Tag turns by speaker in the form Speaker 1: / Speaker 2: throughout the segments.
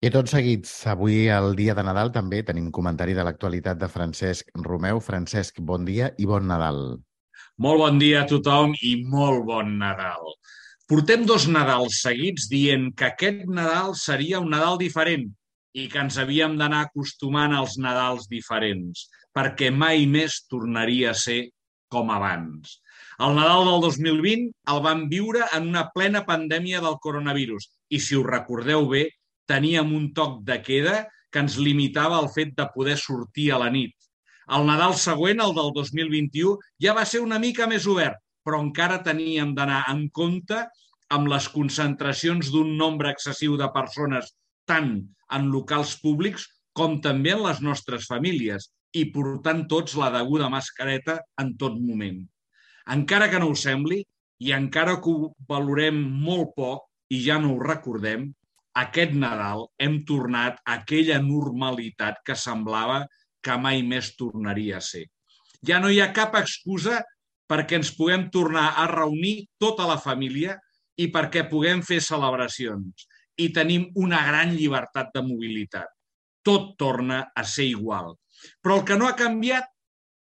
Speaker 1: I tots seguits, avui el dia de Nadal també tenim comentari de l'actualitat de Francesc Romeu. Francesc, bon dia i bon Nadal.
Speaker 2: Molt bon dia a tothom i molt bon Nadal. Portem 2 Nadals seguits dient que aquest Nadal seria un Nadal diferent i que ens havíem d'anar acostumant als Nadals diferents, perquè mai més tornaria a ser com abans. El Nadal del 2020 el vam viure en una plena pandèmia del coronavirus i, si us recordeu bé, teníem un toc de queda que ens limitava el fet de poder sortir a la nit. El Nadal següent, el del 2021, ja va ser una mica més obert, però encara teníem d'anar en compte amb les concentracions d'un nombre excessiu de persones tant en locals públics com també en les nostres famílies i portant tots la deguda mascareta en tot moment. Encara que no ho sembli i encara que ho valorem molt poc i ja no ho recordem, aquest Nadal hem tornat a aquella normalitat que semblava que mai més tornaria a ser. Ja no hi ha cap excusa perquè ens puguem tornar a reunir tota la família i perquè puguem fer celebracions. I tenim una gran llibertat de mobilitat. Tot torna a ser igual. Però el que no ha canviat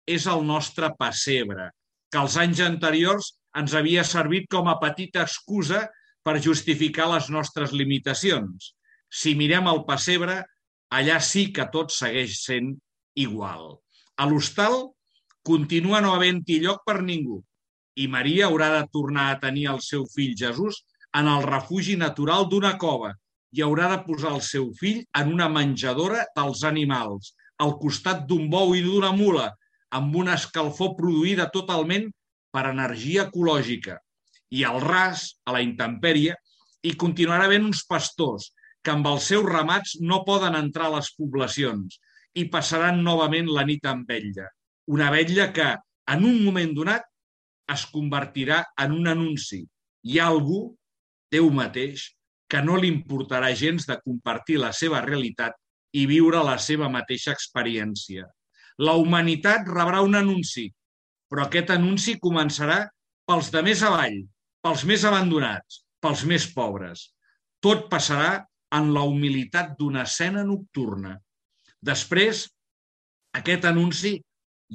Speaker 2: és el nostre pessebre, que els anys anteriors ens havia servit com a petita excusa per justificar les nostres limitacions. Si mirem el pessebre, allà sí que tot segueix sent igual. A l'hostal continua no havent-hi lloc per ningú i Maria haurà de tornar a tenir el seu fill Jesús en el refugi natural d'una cova i haurà de posar el seu fill en una menjadora dels animals, al costat d'un bou i d'una mula, amb una escalfor produïda totalment per energia ecològica. I al ras, a la intempèrie, hi continuarà havent uns pastors que amb els seus ramats no poden entrar a les poblacions i passaran novament la nit amb vetlla. Una vetlla que, en un moment donat, es convertirà en un anunci. Hi ha algú, Déu mateix, que no li importarà gens de compartir la seva realitat i viure la seva mateixa experiència. La humanitat rebrà un anunci, però aquest anunci començarà pels de més avall, pels més abandonats, pels més pobres. Tot passarà en la humilitat d'una escena nocturna. Després, aquest anunci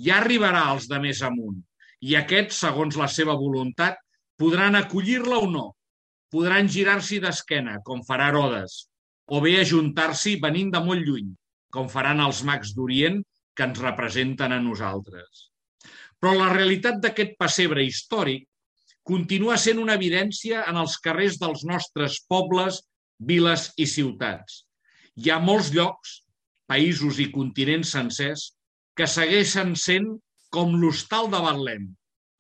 Speaker 2: ja arribarà als de més amunt i aquests, segons la seva voluntat, podran acollir-la o no. Podran girar-s'hi d'esquena, com farà Herodes, o bé ajuntar-s'hi venint de molt lluny, com faran els mags d'Orient que ens representen a nosaltres. Però la realitat d'aquest pessebre històric continua sent una evidència en els carrers dels nostres pobles, viles i ciutats. Hi ha molts llocs, països i continents sencers, que segueixen sent com l'hostal de Betlem,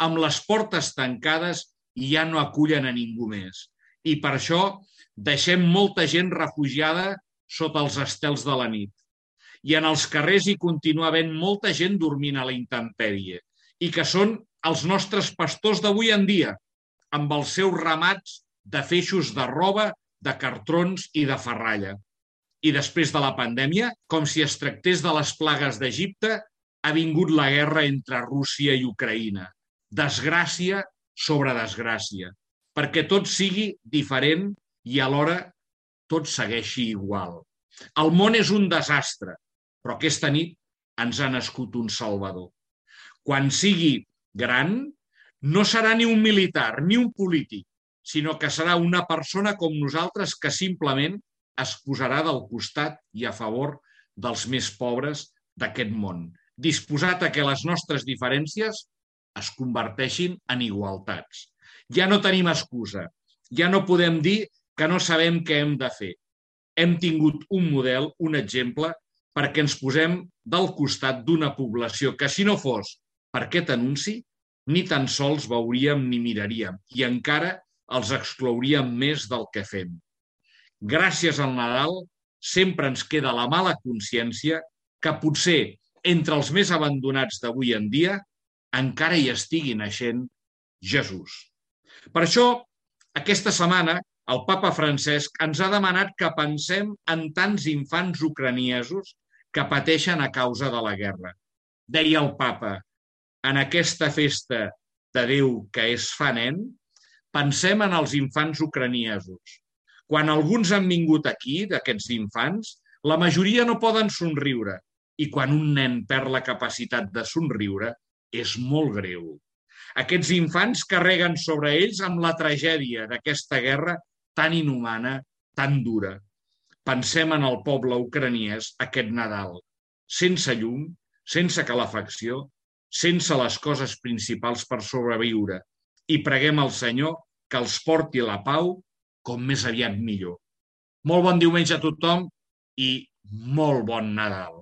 Speaker 2: amb les portes tancades i ja no acullen a ningú més. I per això deixem molta gent refugiada sota els estels de la nit. I en els carrers hi continua havent molta gent dormint a la intempèrie i que són els nostres pastors d'avui en dia, amb els seus ramats de feixos de roba, de cartrons i de ferralla. I després de la pandèmia, com si es tractés de les plagues d'Egipte, ha vingut la guerra entre Rússia i Ucraïna. Desgràcia sobre desgràcia, perquè tot sigui diferent i alhora tot segueixi igual. El món és un desastre, però aquesta nit ens ha nascut un salvador. Quan sigui gran, no serà ni un militar ni un polític, sinó que serà una persona com nosaltres que simplement es posarà del costat i a favor dels més pobres d'aquest món, disposat a que les nostres diferències es converteixin en igualtats. Ja no tenim excusa, ja no podem dir que no sabem què hem de fer. Hem tingut un model, un exemple, perquè ens posem del costat d'una població que, si no fos per aquest anunci, ni tan sols veuríem ni miraríem i encara els exclouríem més del que fem. Gràcies al Nadal sempre ens queda la mala consciència que potser entre els més abandonats d'avui en dia encara hi estigui naixent Jesús. Per això, aquesta setmana, el papa Francesc ens ha demanat que pensem en tants infants ucraniesos que pateixen a causa de la guerra. Deia el papa, en aquesta festa de Déu que es fa nen, pensem en els infants ucraniesos. Quan alguns han vingut aquí, d'aquests infants, la majoria no poden somriure. I quan un nen perd la capacitat de somriure, és molt greu. Aquests infants carreguen sobre ells amb la tragèdia d'aquesta guerra tan inhumana, tan dura. Pensem en el poble ucraniès aquest Nadal, sense llum, sense calefacció, sense les coses principals per sobreviure, i preguem al Senyor que els porti la pau com més aviat millor. Molt bon diumenge a tothom i molt bon Nadal.